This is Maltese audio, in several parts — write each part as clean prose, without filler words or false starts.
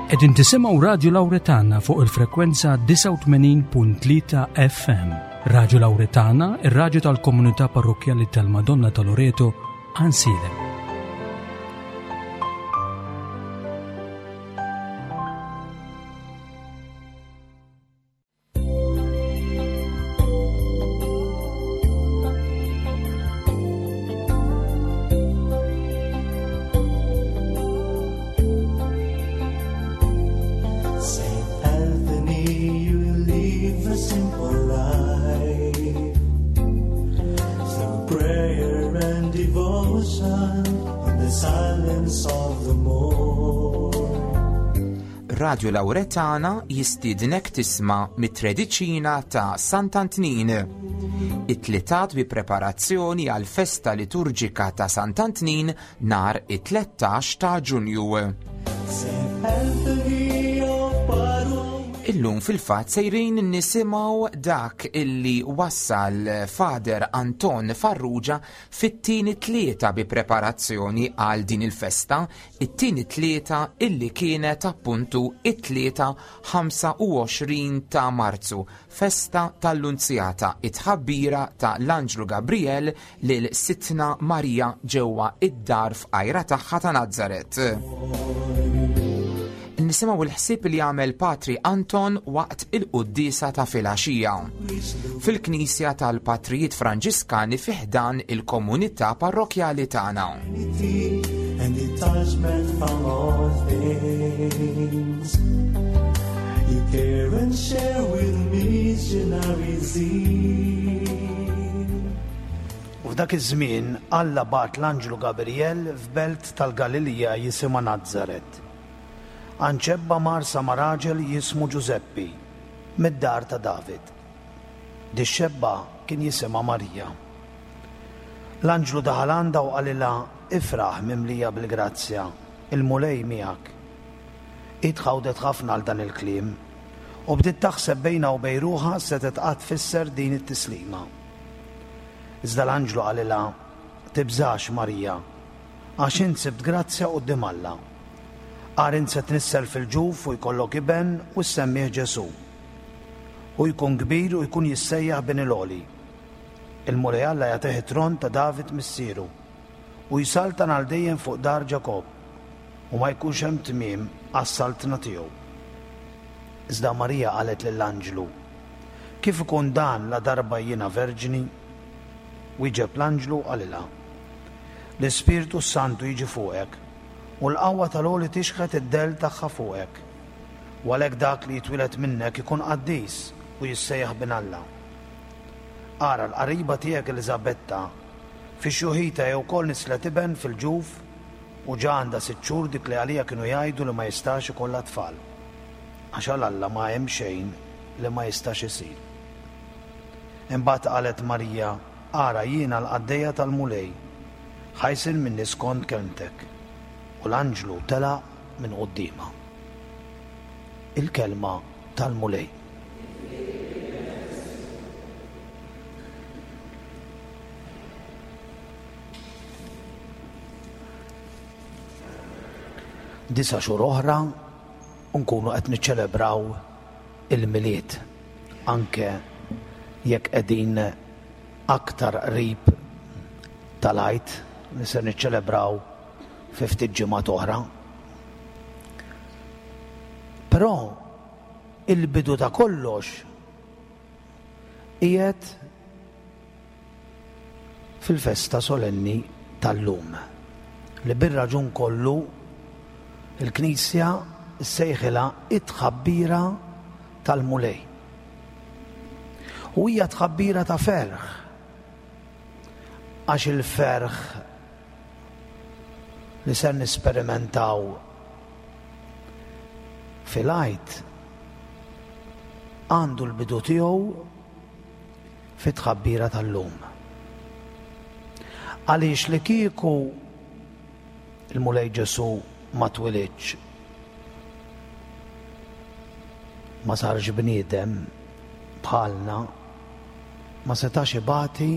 Qegħdin tisimgħu Radju Lawretana fuq il-frekwenza 89.3 FM. Radju Lawretana, ir-radju tal-komunità parrokkjali tal-Madonna ta' Loreto, Ansilem. Saint Anthony, you live a simple life. Through prayer and devotion in the silence of the morn. Radju Lawretana jistiednek tisma' mit-Trediċina ta' Sant'Antnin. It-tlitat bi preparazzjoni għal festa liturġika ta' Sant'Antnin nhar it-13 ta' Ġunju. Saint Anthony of Padua. Illum fil-fatt sejrin nisimgħu dak illi wassal Fader Anton Farrugia fit-tieni tlieta bi preparazzjoni għal din il-festa, it-tieni tlieta illi kienet appuntu it-tlieta 25 ta' Marzu, festa tal-Lunzjata, it-tħabbira ta' l-Anġlu Gabriel lil Sidtna Marija ġewwa id-dar fqajra tagħha ta' Nazaret. Nisimgħu l-ħsieb li għamel Patri Anton waqt il-quddiesa ta' filgħaxija fil-Knisja tal-Patrijiet Franġiskani fi ħdan il-komunità parrokjali tagħna. And detachment from all things. You care and share with missionary zeal. U f'dak iż-żmien Alla bagħat l-anġlu Gabriel f'belt tal-Galilija jisimha Nazaret. Għand xebba mgħarsa ma' raġel jismu Ġużeppi, mid-dar ta' David. Dix-xebba kien jisimha Marija. L-anġlu daħal għandha u qalilha, Ifraħ, mimlija bil-grazzja, il-Mulej miegħek. Hi tħawdet ħafna għal dan il-kliem, u bdiet taħseb bejnha u bejn ruħha x'setgħet qatt tfisser din it-tislima. Iżda l-anġlu qalilha, Tibżax, Marija, Għax int sibt grazzja quddiem Alla. Agħar int se tnissel fil-ġuf u jkollok iben u ssemmih Ġesù. Hu jkun kbir u jkun jissejjaħ Bin il-Għoli. Il-Mulej Alla jagħtih it-tron ta' David missieru, u jsaltan għal dejjem fuq dar Ġakobb, u ma jkunx hemm tmiem għas-saltna tiegħu. Iżda Marija qalet lill-anġlu, Kif ikun dan ladarba jiena verġni? Wieġeb l-anġlu u qalilha, L-Ispirtu s-Santu jiġi fuqek, u l-qawwa tal-Għoli tixħet id-dell tagħha fuqek. U għalhekk dak li jitwieled minnek ikun qaddis u jissejjaħ Bin Alla. Ara, l-qariba tiegħek Eliżabetta, fi xjuħitha hi wkoll nislet iben fil-ġuf, u ġa għandha sitt xhur dik li għaliha kienu jgħidu li ma jistax ikollha tfal. Għax għal Alla ma hemm xejn li ma jistax isir. Imbagħad qalet Marija, Ara, jiena l-qaddejja tal-Mulej, ħa jsir minni skond kelmtek. U l-anġlu telaq minn quddiemha. Il-kelma tal-Mulej. Disa' xhur oħra u nkunu qed niċċelebraw il-Milied, anke jekk qegħdin aktar qrib tal-Għid li ser niċċelebraw fi ftit ġimgħat oħra. Però il-bidu ta' kollox qiegħed fil-festa solenni tal-lum, li bir-raġun kollu l-Knisja ssejħilha it-tħabbira tal-Mulej. U hija tħabbira ta' ferħ, għax il-ferħ li ser nisperimentaw fil-Għid għandu l-bidu tiegħu fit-tħabbira tal-lum. Għaliex li kieku il-Mulej Ġesu ma twilidx, ma sarx bniedem bħalna, ma setax ibati,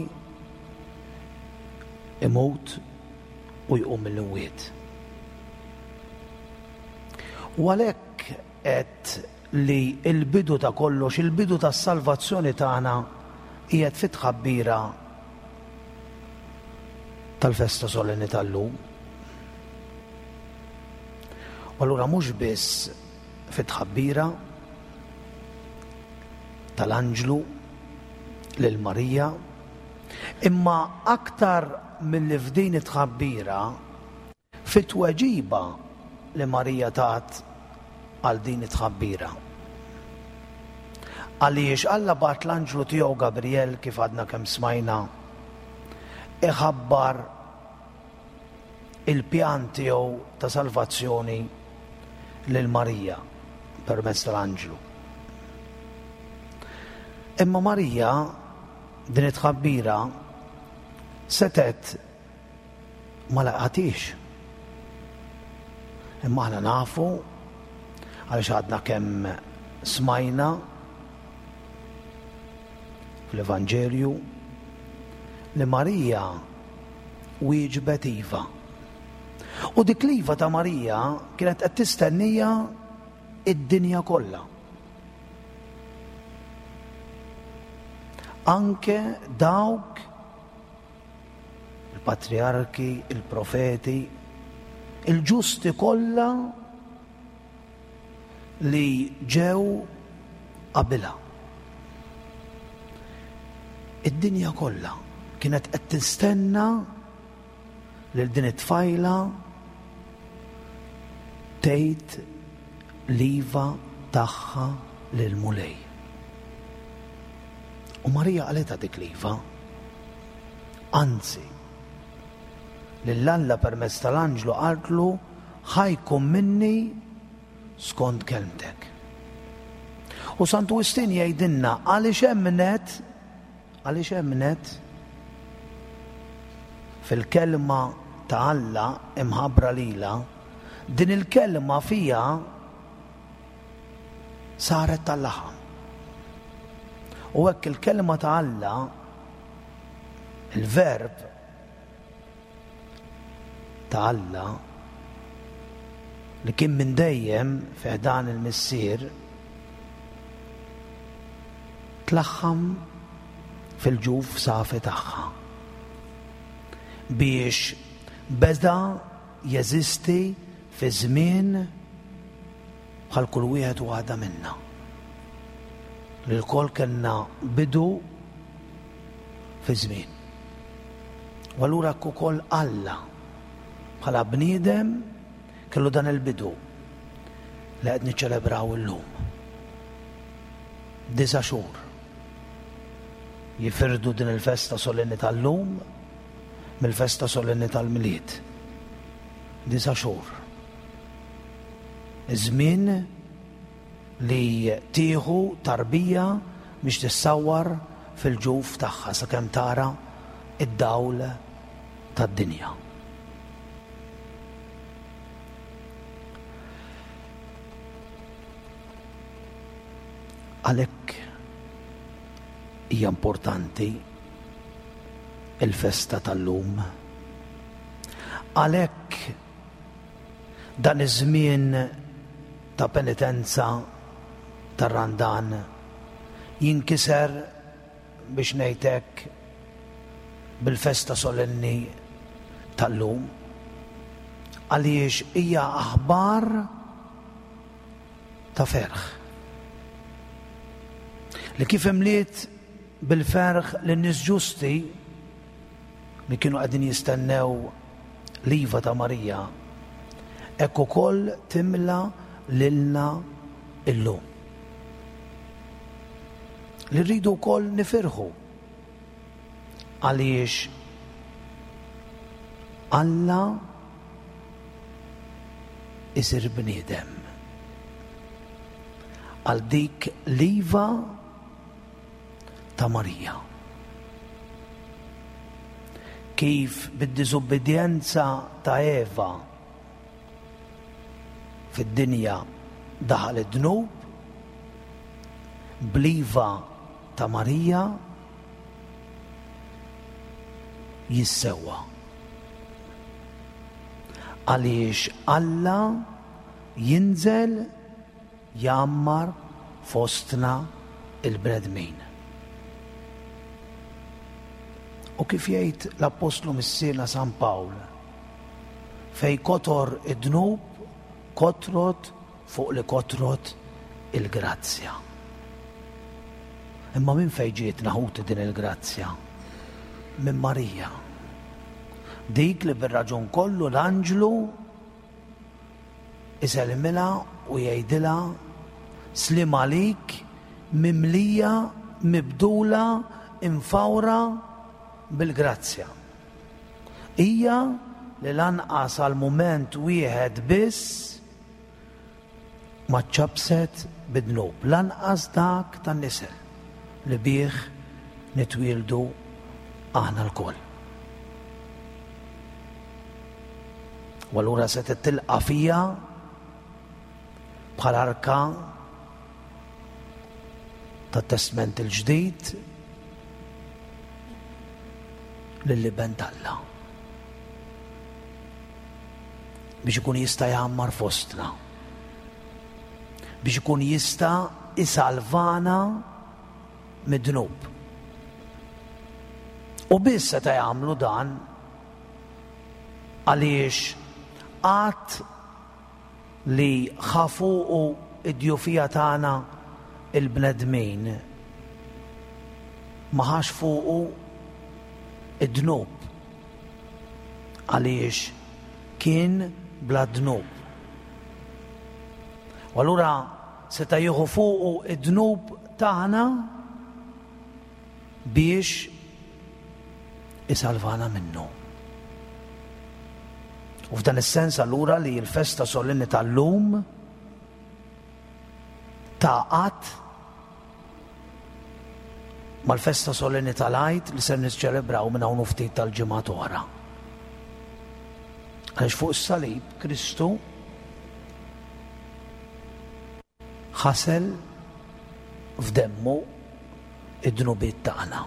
imut u jqum mill-imwiet. U għalhekk. għedt li l-bidu ta' kollox, il-bidu tas-salvazzjoni tagħna qiegħed fit-tħabbira tal-festa solenni tal-lum. U allura mhux biss fit-tħabbira tal-anġlu lil Marija, imma aktar milli f'din it-tħabbira Fit-tweġiba li Marija tat għal din it-tħabbira. Għaliex Alla bagħat l-anġlu tiegħu Gabriel kif għadna kemm smajna iħabbar il-pjan tiegħu ta' salvazzjoni lil Marija permezz tal-anġlu. Imma Marija din it-tħabbira setgħet ma laqatix. Imma aħna nafu għaliex għadna kemm smajna fl-Evanġelju li Marija wieġbet iva. U dik l-iva ta' Marija kienet qed tistennija id-dinja kollha. Anke dawk il-patrijarki, il-profeti, il-ġusti kollha li ġew qabilha. Id-dinja kollha kienet qed tistenna lil din it-tfajla tgħid l-iva tagħha lill-Mulej. U Marija qalitha dik l-iva. Anzi, lil Alla permezz tal-anġlu qaltlu ħa jkun minni skont kelmtek. U Santu Wistin jgħidilna għaliex emmnet għaliex emmnet fil-kelma ta' Alla imħabbra lilha, din il-kelma fiha saret tal-laħam. U hekk il-kelma ta' Alla, il-verb ta' Alla, li kien minn dejjem fi ħdan il-Missier, tlaħħam fil-ġuf safi tagħha biex beda jeżisti fi żmien bħal kull wieħed u waħda minna. Li lkoll kellna bidu fi żmien. U allura hekk ukoll Alla bħala bniedem kellu dan il-bidu li qed niċċelebraw illum. Disa' xhur jifirdu din il-festa solenni tal-lum mill-festa solenni tal-Milied. Disa' xhur. Iż-żmien li tieħu tarbija biex tissawwar fil-ġuf tagħha sakemm tara d-dawl tad-dinja. Għalhekk hija importanti il-festa tal-lum. Għalhekk Dan iż-żmien ta' penitenza tar-Randan jinkiser, biex ngħid hekk, bil-festa solenni tal-lum, għaliex hija aħbar ta' ferħ. Li kif imliet bil-ferħ lin-nies ġusti li kienu qegħdin jistennew l-iva ta' Marija, hekk ukoll timla lilna illum. Li rridu wkoll nifirħu għaliex Alla isir bniedem. Għal dik l-iva ta' Marija. Kif bid-diżubbidjenza ta' Eva fid-dinja daħal id-dnub, bl-iva ta' Marija jissewwa. Għaliex Alla jinżel. jgħammar fostna il-bnedmin. U kif jgħid l-Appostlu Missierna San Pawl, fej kotor id-dnub, kotrot fuq li kotrot il-grazzja. Imma minn fejn ġietna ħuti din il-grazzja? Minn Marija. Dik li bir-raġun kollu l-anġlu isellmilha u jgħidilha sliem għalik mimlija mibdula imfawra bil-grazzja. Hija li lanqas għal mument wieħed biss ma ċċappset bid-dnub, lanqas dak tan-nisel li bih nitwieldu aħna lkoll. U allura setgħet tilqa' fija bħal arka tat-Testment il-Ġdid lill-Iben t'Alla. Biex ikun jista' jgħammar fostna. Biex ikun jista' isalvana mid-dnub. U biss seta' jagħmlu dan għaliex qatt li ħa fuqu d-djufija tagħna l-bnedmin, ma ħax fuqu d-dnub għaliex kien bla dnub. U allura seta' jieħu fuqu d-dnub tagħna biex isalvana minnu. U f'dan is-sens allura li l-festa solenni tal-lum tagħqad mal-festa solenni tal-Għid li se niċċelebraw minn hawn ftit tal-ġimgħat oħra. Għaliex fuq is-salib Kristu ħasel f'demmu id-dnubiet tagħna.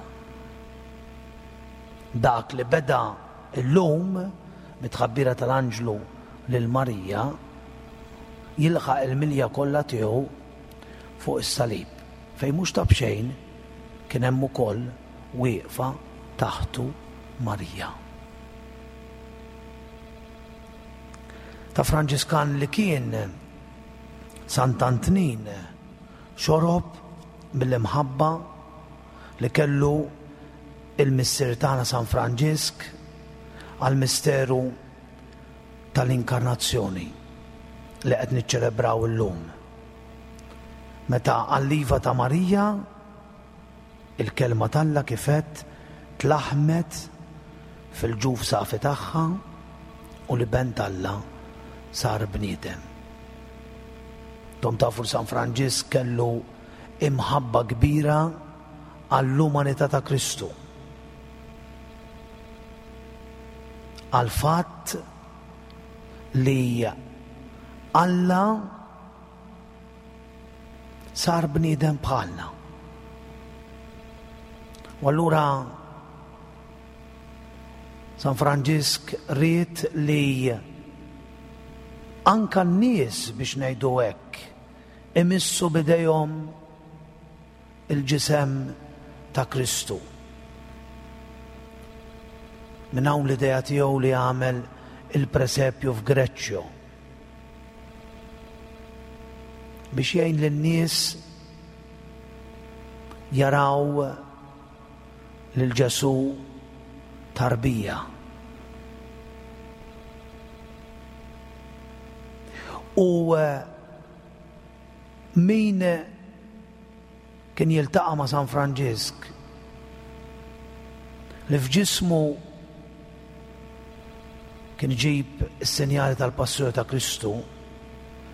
Dak li beda llum mit-tħabbira tal-anġlu lil Marija jilħaq il-milja kollha tiegħu fuq is-salib, fejn mhux ta' b'xejn kien hemm ukoll wieqfa taħtu Marija. Ta' Franġiskan li kien Sant'Antnin xorob mill-imħabba li kellu il-Missier tagħna San Franġisk għall-misteru tal-Inkarnazzjoni li qed niċċelebraw illum. Meta għall-iva ta' Marija, il-kelma t'Alla kif għedt tlaħħmet fil-ġuf safi tagħha u l-Iben t'Alla sar bniedem. Intom tafu li San Franġisk kellu imħabba kbira għall-umanità ta' Kristu. Għall-fatt li Alla sar bniedem bħalna. U allura San Franġisk ried li anka n-nies biex ngħidu hekk imissu bidejhom il-ġisem ta' Kristu. Minn hawn l-idea tiegħu li għamel il-presepju f'Greċċjo biex jgħin lin-nies jaraw lil Ġesù tarbija. U eh, min kien jiltaqa' ma' San Franġisk li f'ġismu kien iġib is-sinjali tal-passjoni ta' Kristu,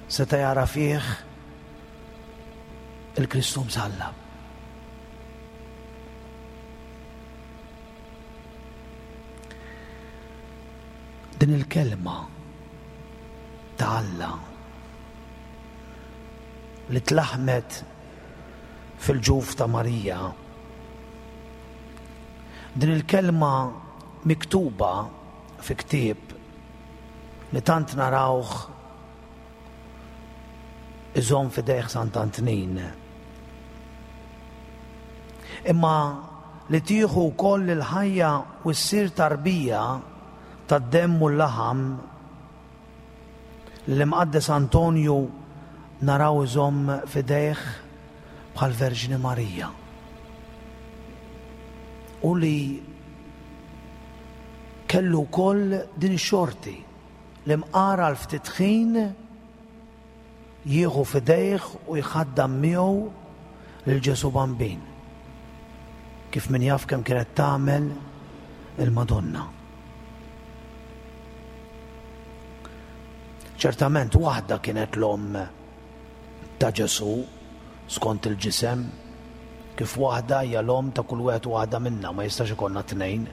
seta' jara fih il-Kristu msallab. Din il-kelma ta' Alla li tlaħmet fil-ġuf ta' Marija. Din il-kelma miktuba fi ktieb li tant narawh. iżomm f'idejh Sant'Antnin. Imma li tieħu wkoll il-ħajja u ssir tarbija tad-demm u l-laħam li l-Imqaddes Antonju naraw iżomm f'idejh bħall-Verġni Marija. U li kellu wkoll din ix-xorti li mqar għal ftit ħin jieħu f'idejh u jħaddam miegħu lil Ġesù Bambin, kif min jaf kemm kienet tagħmel il-Madonna. Ċertament waħda kienet l-omm ta' Ġesù skont il-ġisem, kif waħda hija l-omm ta' kull wieħed u waħda minna, ma jistax ikollna tnejn.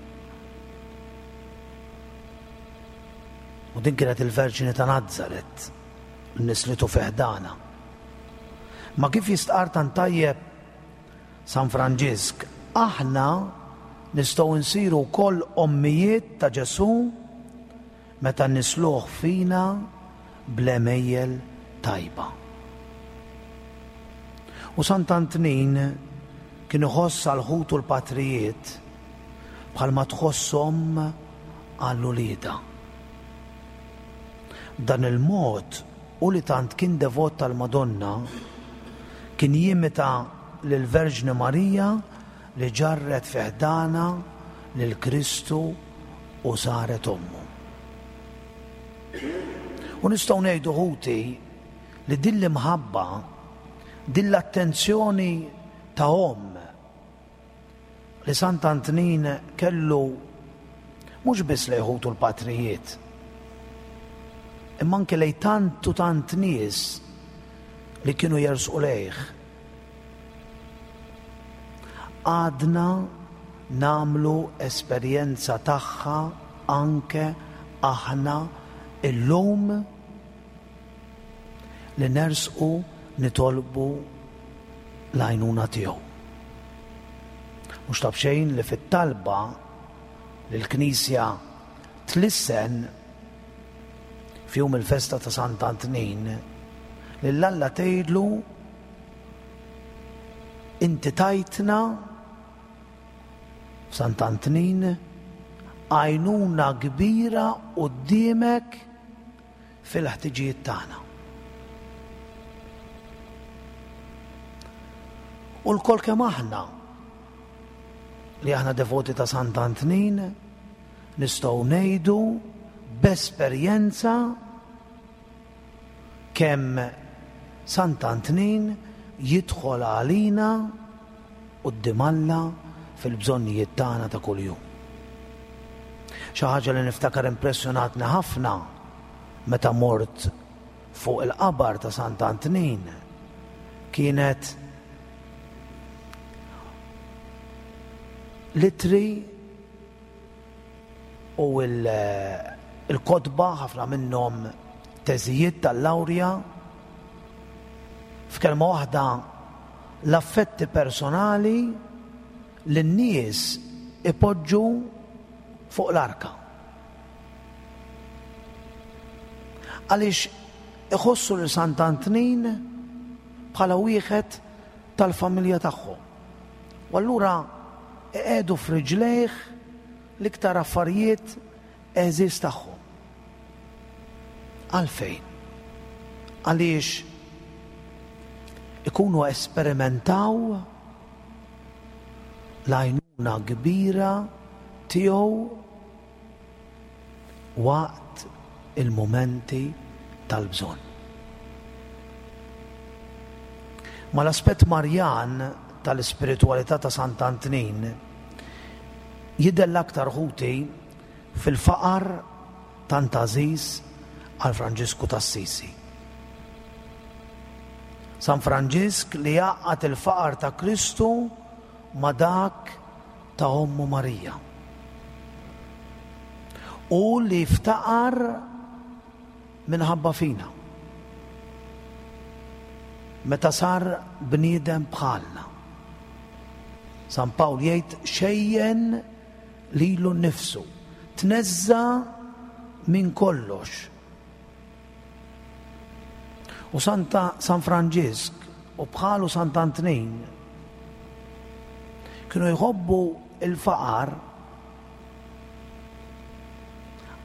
U din kienet il-Verġni ta' Nazaret, nislitu fi ħdanha. Ma kif jistqarr tant tajjeb San Franġisk, aħna nistgħu nsiru wkoll ommijiet ta' Ġesù meta nisluh fina bl-għemejjel tajba. U Sant'Antnin kien iħoss għal ħutu l-patrijiet bħalma tħoss omm għal uliedha. B'dan il-mod, hu li tant kien devot tal-Madonna, kien jimita lill-Verġni Marija li ġarret fi ħdanha lil Kristu u saret ommu. U nistgħu ngħidu ħuti li din l-imħabba, din l-attenzjoni ta' omm li Sant'Antnin kellu mhux biss lejn ħutu l-patrijiet, imma anke lejn tant u tant nies li kienu jersqu lejh. Għadna nagħmlu esperjenza tagħha anke aħna illum li nersqu nitolbu l-għajnuna tiegħu. Mhux ta' b'xejn li fit-talba li l-Knisja tlissen f'jum il-festa ta' Sant'Antnin, lil Alla tgħidlu inti tajtna f'Sant'Antnin għajnuna kbira quddiemek fil-ħtiġijiet tagħna. U lkoll kemm aħna li aħna devoti ta' Sant'Antnin nistgħu ngħidu b'esperjenza kemm Sant'Antnin jidħol għalina quddiem Alla fil-bżonnijiet tagħna ta' kuljum. Xi ħaġa li niftakar impressjonatni ħafna meta mort fuq il-qabar ta' Sant'Antnin kienet l-ittri u l-kotba ħafna minnhom teżijiet tal-lawrja f'kelma waħda l-affetti personali li n-nies ipoġġu fuq l-arka. Għaliex iħossu lil Sant'Antnin bħala wieħed tal-familja tagħhom. U allura iqiegħdu f'riġlejh l-iktar affarijiet għeżież tagħhom. Għalfejn? Għaliex ikunu esperimentaw l-għajnuna kbira tiegħu waqt il-mumenti tal-bżonn. Mal-aspett Marjan tal-ispiritwalità ta' Sant'Antnin jidher l-aktar ħuti fil-faqar tant għażiż għal Franġisku t'Assisi. San Franġisk li jgħaqqad il-faqar ta' Kristu ma' dak ta' ommu Marija. U li ftaqar minħabba fina. Meta sar bniedem bħalna. San Pawl jgħid xejjen lilu nnifsu, tneżża' minn kollox. U Santa San Franġisk u bħalu Sant'Antnin kienu jħobbu il-faqar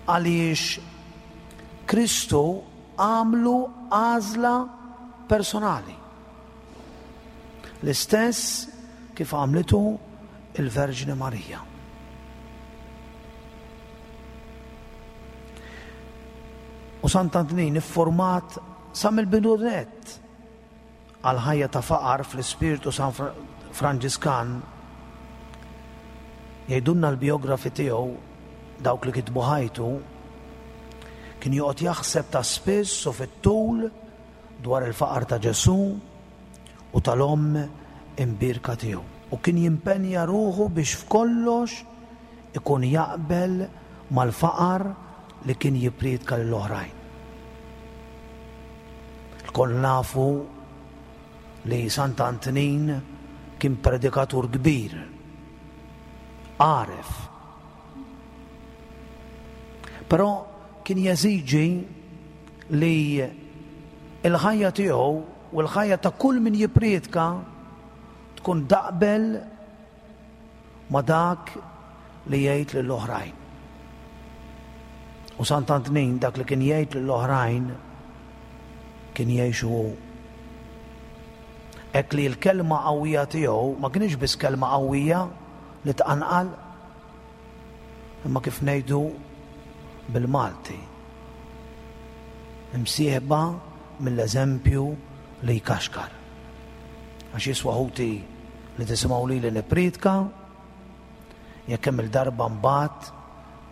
għaliex Kristu għamlu għażla personali. L-istess kif għamlitu il-Verġni Marija. U Sant'Antnin iffurmat sa mill-bidu nett għal ħajja ta' faqar fl-ispirtu San Franġiskan jgħidulna l-biografi tiegħu dawk li kitbu ħajtu kien joqgħod jaħseb ta' spiss u fit-tul dwar il-faqar ta' Ġesù u tal-Omm imbierka tiegħu, u kien jimpenja ruħu biex f'kollox ikun jaqbel mal-faqar li kien jippriedka lil oħrajn. Lkoll nafu li Sant'Antnin kien predikatur kbir, għaref. Però kien jeżiġi li l-ħajja tiegħu u l-ħajja ta' kull min jippriedka tkun taqbel ma' dak li jgħid lill-oħrajn. U Sant'Antnin dak li kien jgħid lill-oħrajn kien jgħixu hu. Hekk li l-kelma qawwija tiegħu ma kienx biss kelma qawwija li tqanqal, imma kif ngħidu bil-Malti, imsieħba mill-eżempju li jkaxkar. Għax jiswa ħuti li tisimgħu lili nippriedka, jekk kemm il-darba mbagħad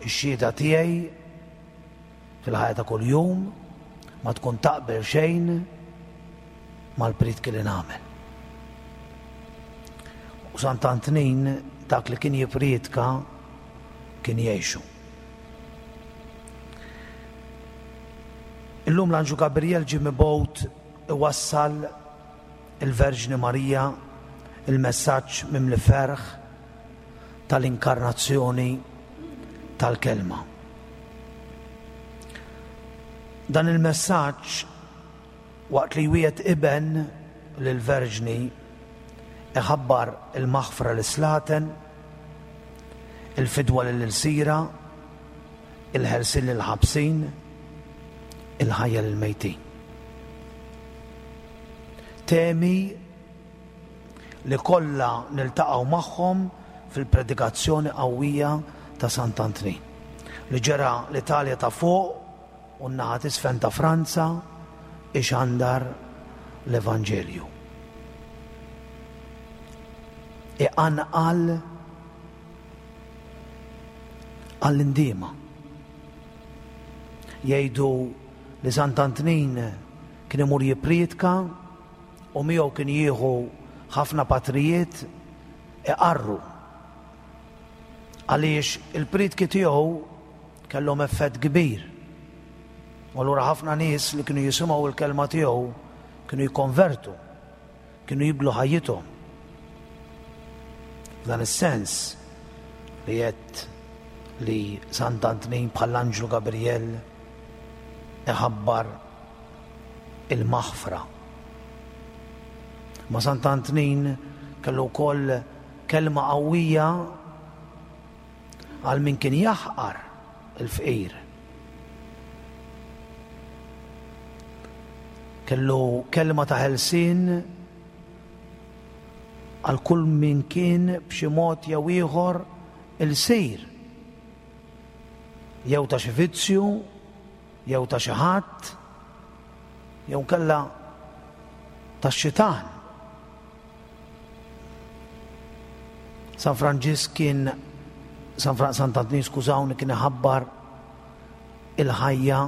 ix-xhieda tiegħi fil-ħajja ta' kuljum ma tkun taqbel xejn mal-priedki li nagħmel. U Sant'Antnin dak li kien jippriedka kien jgħixu. Illum l-Anġlu Gabriel ġie mibgħut iwassal il-Verġni Marija il-messaġġ mimli ferħ tal-inkarnazzjoni tal-Kelma. Dan il-messaġġ waqt li jwiegħed iben lill-Verġni iħabbar il-maħfra lis-slaten, il-fidwa lill-ilsira, il-ħelsien lill-ħabsin, il-ħajja lill-mejtin. Temi li kollha niltaqgħu magħhom fil-predikazzjoni qawwija ta' Sant'Antnin, li ġera l-Italja ta' fuq u n-naħa t'isfel ta' Franza ixandar l-Evanġelju. Iqanqal għall-indiema. Jgħidu li Sant'Antnin kien imur jippriedka u miegħu kien jieħu ħafna patrijiet iqarru għaliex il-priedki tiegħu kellhom effett kbir. U allura ħafna nies li kienu jisimgħu l-kelma tiegħu kienu jikkonvertu, kienu jibdlu ħajjithom. F'dan is-sens li għedt li Sant'Antnin bħall-Anġlu Gabriel iħabbar il-maħfra. Ma Sant'Antnin kellu wkoll kelma qawwija għal min kien jaħqar il-fqir. Kellu kelma ta' ħelsien għal kull min kien b'xi mod jew ieħor ilsir jew ta' xi vizzju jew ta' xi ħadd jew inkella tax-xitan. San Franġisk kien San Fra Sant'Antnin skużawni kien iħabbar il-ħajja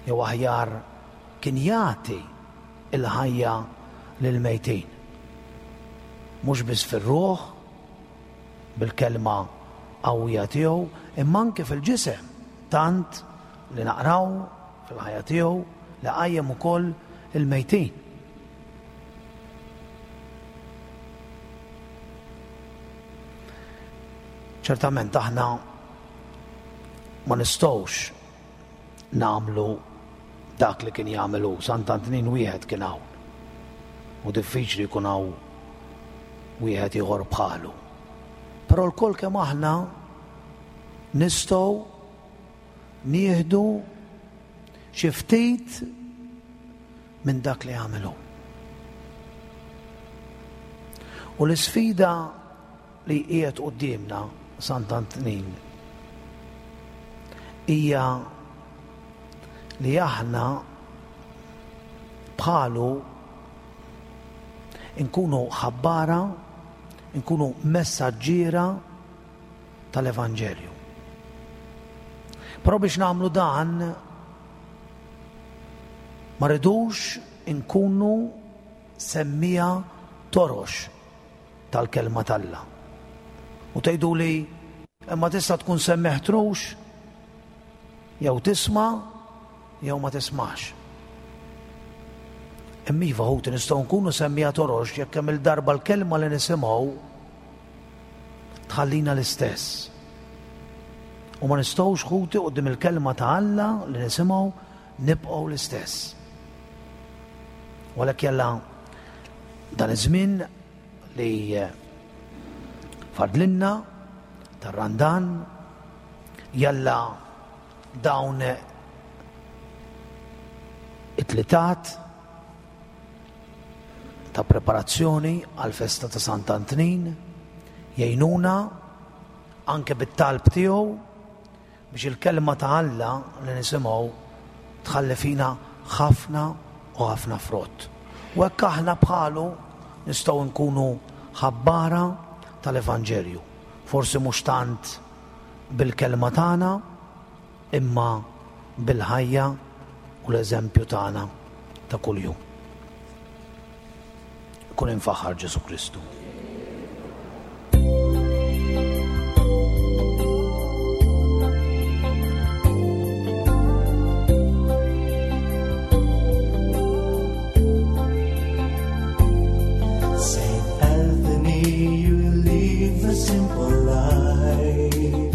jew aħjar kien jagħti il-ħajja lill-mejtin. Mhux biss fir-ruħ, bil-kelma qawwija tiegħu, imma anke fil-ġisem, tant li naqraw fil-ħajja tiegħu li qajjem ukoll il-mejtin. Ċertament aħna ma nistgħux nagħmlu dak li kien jagħmel hu, Sant'Antnin wieħed kien hawn. U diffiċli jkun hawn wieħed ieħor bħalu. Però lkoll kemm aħna nistgħu nieħdu xi ftit minn dak li għamel hu. U l-isfida li qiegħed quddiemna Sant'Antnin hija li aħna bħalu nkunu ħabbara, nkunu messaġġiera tal-Evanġelju. Però biex nagħmlu dan ma rridux inkunu semmija torox tal-kelma t'Alla. U tgħiduli imma tista' tkun semmiegħ trux jew tisma' jew ma tismax. Imma iva ħuti nistgħu nkunu semmiegħa torox jekk kemm il-darba l-kelma li nisimgħu tħallina l-istess. U ma nistgħux ħuti quddiem il-kelma ta' Alla li nisimgħu nibqgħu l-istess. U għalhekk jalla dan iż-żmien li fadlinna tar-Randan jalla dawn it-tlitat ta' preparazzjoni għal festa ta' Sant'Antnin jgħinuna anke bit-talb tiegħu biex il-kelma ta' Alla li nisimgħu tħalli fina ħafna u ħafna frott. U hekk aħna bħalu nistgħu nkunu ħabbara tal-Evanġelju. Forsi mhux tant bil-kelma tagħna, imma bil-ħajja u l-eżempju tagħna ta' kuljum. Kun imfaħħar Ġesu Kristu. Saint Anthony, you live a simple life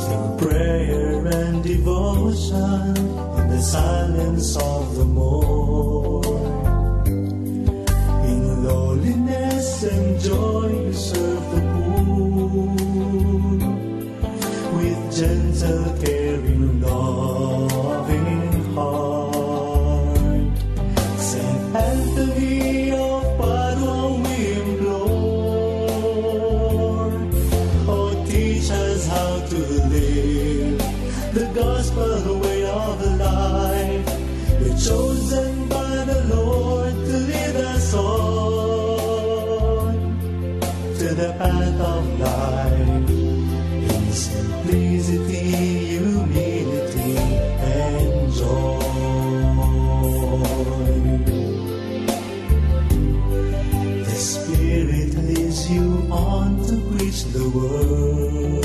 through prayer and devotion in the silence of the morn. In lowliness and joy, you serve the poor with gentle, caring, loving heart. Saint Anthony of Padua, we implore. Oh, teach us how to live the gospel way of life. You're chosen by the Lord to lead us on to the path of life. In simplicity, humility, and joy. The Spirit leads you on to preach the word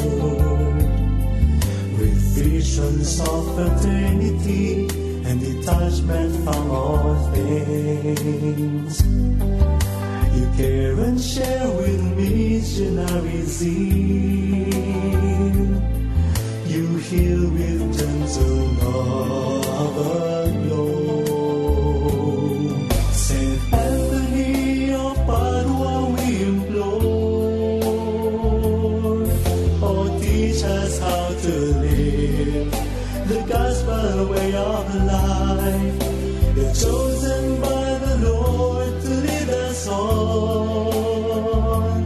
with visions of fraternity and detachment from all things. You care and share with missionary zeal. You heal with gentle love alone. Saint Anthony of Padua, we implore. Oh, teach us how to live the gospel way of life. You're chosen by the Lord to lead us on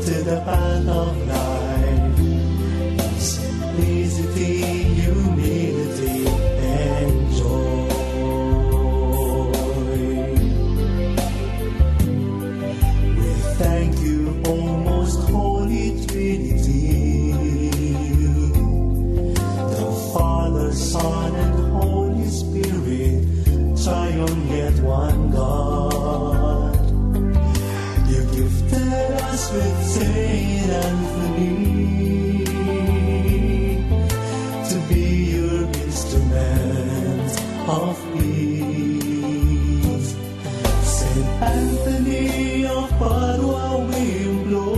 to the path of life. In simplicity, humility, and joy. We thank you, O most holy Trinity, the Father, Son, and Holy Spirit, triune yet one God. You gifted us with Saint Anthony to be your instrument of peace. Saint Anthony of Padua, we implore.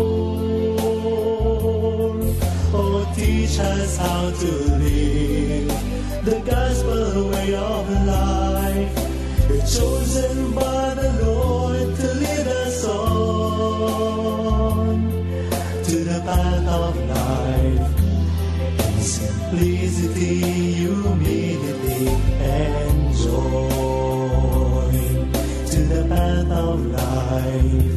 Oh, teach us how to live the gospel way. Chosen by the Lord to lead us on to the path of life. In simplicity, humility, and joy. To the path of life.